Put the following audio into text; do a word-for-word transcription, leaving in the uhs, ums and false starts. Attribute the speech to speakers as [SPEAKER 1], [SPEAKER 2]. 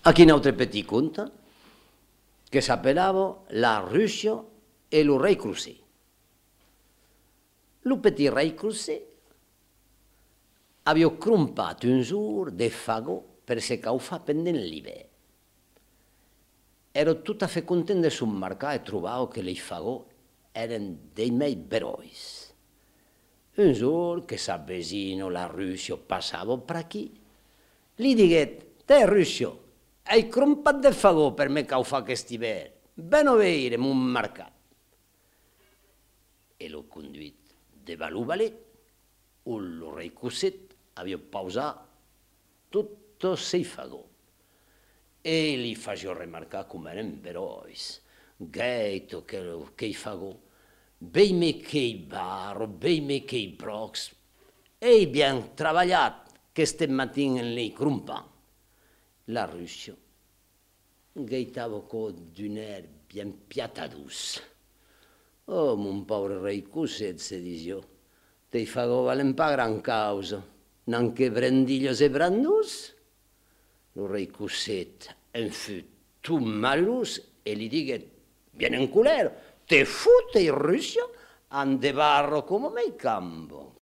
[SPEAKER 1] Aquí un altre petit conte que s'apellava La Russia e lo rei Crusè. Lo petit rei Crusè aveva crompato un giorno de fagò per se caufà pendent l'hivern. Ero tot a fe content de s'embarcar e trobava que les fagò eren dei miei berois. Un giorno che s'avvecino la Russia passava per aquí, li diguet: «Te, Russia, hai crompat de fagò per me caufà aquest hivern, ben a veire mon mercat». E l'ho conduit de lo valet, on lo rei Crusè havia pausat tots sei fagò. E li facio remarcar com eren berois, gaito qu'ei fagò, veime qu'ei barro, veime qu'ei brocs, ei bien trabalhat qu'este matin en l'ei crompant. La Russia gaitava d'un air bien piatadus. «Oh, mon pauvre rei Crusè», se disió, «tei fagò valen pa gran causa, n'anche brendillos e brandus». Lo rei Crusè en fut tot malus e li diguet bien en colère: «Te fute, Russia, an de barro como mei campo».